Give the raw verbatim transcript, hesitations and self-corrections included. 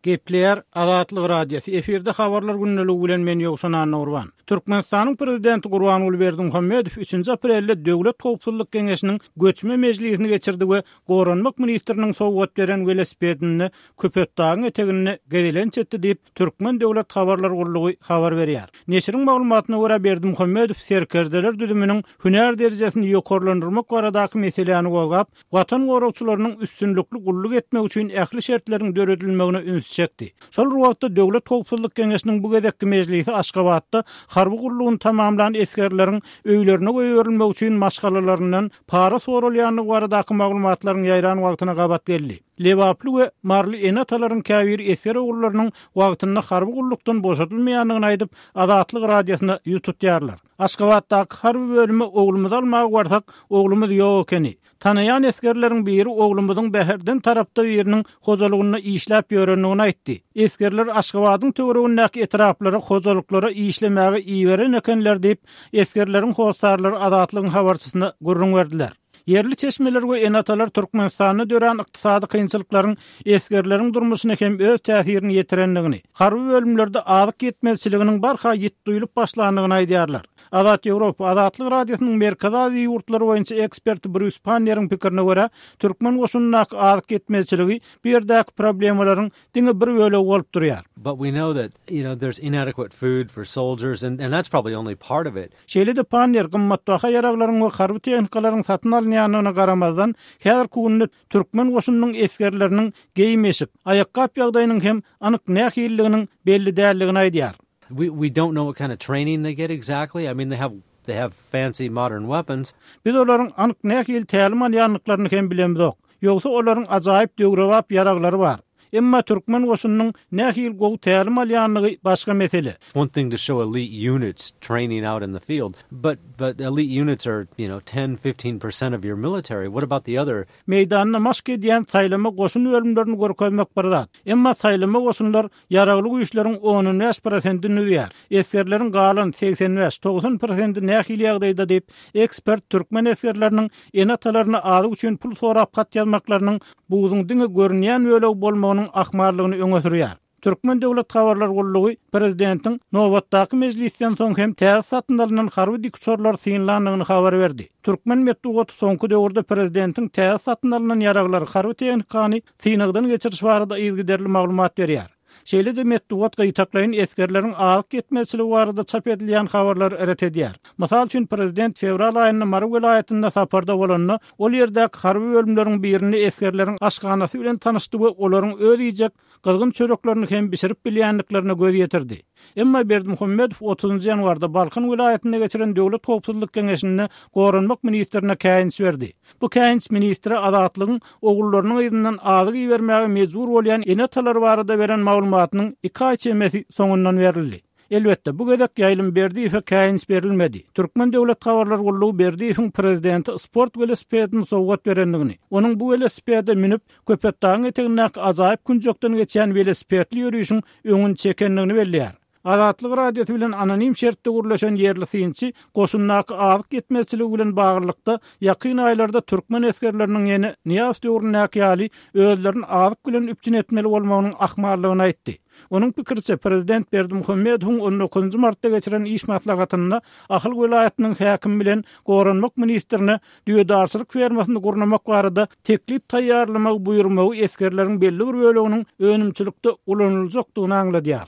Gepleýär Azatlyk Radiosy. Efirde habarlar gündeligi bilen men Ýowşan Annagurban. Türkmenistanyň prezidenti Gurbanguly Berdimuhamedow üçünji aprelde Döwlet howpsuzlyk geňeşiniň göçme mejlisini geçirdi we Goranmak ministriniň sowgat beren welosipedinde Köpetdagyň eteginde gezelenç etdi diýip, Türkmen döwlet habarlar gullugy habar berýär. Neşiriň maglumatyna görä Berdimuhamedow serkerdeler düzüminiň hünär derejesini ýokarlandyrmak baradaky meseläni gozgap, Watan goragçylarynyň üstünlikli gulluk etmek üçin ähli şertleriň döredilmegine üns çekdi. Şol bir wagtda Döwlet howpsuzlyk geňeşiniň bu gezekki mejlisi Aşgabatda harby gullugyny tamamlan esgerleriň öýlerine goýberilmegi üçin maşgalalaryndan para soralýandygy baradaky maglumatlaryň ýaýran wagtyna gabat geldi. Lebaply we Maryly ene-atalaryň käbir esger ogullarynyň wagtynda harby gullukdan boşadylmaýandygyny aýdyp, Azatlyk Radiosyna ýüz tutýarlar. Aşgabatdaky harby bölüme oglumyzy almaga barsak, oglumyz ýok ekeni. Tanaýan esgerleriň biri oglumyzyň Bäherden tarapda biriniň hojalygynda işläp ýörendigini aýtdy. Esgerler Aşgabadyň töweregindäki etraplara, hojalyklara işlemäge iberen ekenler diýip, esgerleriň hossarlary Azatlygyň habarçysyna gürrüň berdiler. Ýerli çeşmeler we ene-atalar Türkmenistanda dörän ykdysady kynçylyklaryň esgerleriň durmuşyna hem öz täsirini ýetirendigini, harby bölümlerde azyk ýetmezçiliginiň barha ýit duýulyp başlandygyny aýdýarlar. Azat Ýewropa Azatlyk Radiosynyň Merkezi Aziýa ýurtlary boýunça eksperti Brýus Panneriň pikirine görä, türkmen goşunyndaky azyk ýetmezçiligi bu ýerdäki problemalaryň diňe bir bölegi bolup durýar. But we know that, you know, there's inadequate food for soldiers and and that's probably only part of it. Şeýle-de Pannier gymmatbaha ýaraglaryň we harby tehnikalaryň satyn alynýandygyna garamazdan, häzirki günde türkmen goşunynyň esgerleriniň geýim-eşik, aýakgap ýagdaýynyň hem anyk nähililiginiň belli däldigini aýdýar. We we don't know what kind of training they get exactly. I mean, they have they have fancy modern weapons. Biz olaryň anyk nähili tälim alýandyklaryny hem bilemzok. Ýogsa olaryň ajaýyp döwrebap ýaraglary bar. Emma türkmen goşunynyň nähili gowy tälim alýandygy başga mesele. One thing to show elite units training out in the field, but but elite units are, you know, ten, fifteen percent of your military. What about the other? Meýdanda maşk edýän saýlama goşun bölümlerini görkezmek bir zat. Emma saýlama goşunlar ýaragly güýçleriň on bäş prosentini düzýär. Esgerleriň galan segsen bäş, togsan prosenti nähili ýagdaýda diýip, ekspert türkmen esgerleriniň ene-atalaryna azyk üçin pul sorap hat ýazmaklarynyň buzuň diňe görünýän bölegi bolmagynyň ahmallygyny öňe sürýär. Türkmen döwlet habarlar gullugy prezidentiň nobatdaky mejlisden soň hem täze satyn alynan harby dikuçarlar synlandygyny habar berdi. Türkmen metbugaty soňky döwürde prezidentiň täze satyn alynan ýaraglary harby tehnikany synagdan geçiriş barada yzygiderli maglumat berýär. Şeýle-de metbugat gytaklaýyn esgerleriň azyk ýetmezçiligi barada çap edilýän habarlary ret edýär. Mysal üçin prezident fewral aýynda Mary welaýatynda saparda bolanda, ol ýerdäki harby bölümleriň birinde esgerleriň aşhanasy bilen tanyşdy we olaryň öz iýjek gyzgyn çöreklerini hem bişirip bilýändiklerine göz ýetirdi. Emma Berdimuhamedow otuzynjy ýanwarda Balkan welaýatynda geçiren Döwlet howpsuzlyk geňeşinde Goranmak ministrine käýinç berdi. Bu käýinç ministre Azatlygyň ogullarynyň yzyndan azyk ibermäge mejbur bolýan ene-atalar barada beren maglumatynyň iki aý çemesi soňundan berildi. Elbetde, bu gezek Ýaýlym Berdiýewe käýinç berilmedi. Türkmen döwlet habarlar gullugy Berdiýewiň prezidenti sport welosipedini sowgat berendigini, onuň bu welosipede münüp, Köpetdagyň etegindäki ajaýyp künjekden geçýän welosipedli ýörişiň öňüni çekendigini belleýär. Azatlyk Radiosy bilen anonim şertde gürleşen ýerli synçy goşundaky azyk ýetmezçiligi bilen baglylykda ýakyn aýlarda türkmen esgerleriniň ýene Nyýazow döwründäki ýaly özlerini azyk bilen üpjün etmeli bolmagynyň ahmallygyny aýtdy. Onuň pikiriçe, prezident Berdimuhamedowyň on dokuzynjy martda geçiren iş maslahatynda Ahal welaýatynyň häkimi bilen Goranmak ministrine düýedarçylyk fermasyny gurnamak barada teklip taýýarlamagy buýurmagy esgerleriň belli bir böleginiň önümçilikde ulanyljakdygyny aňladýar.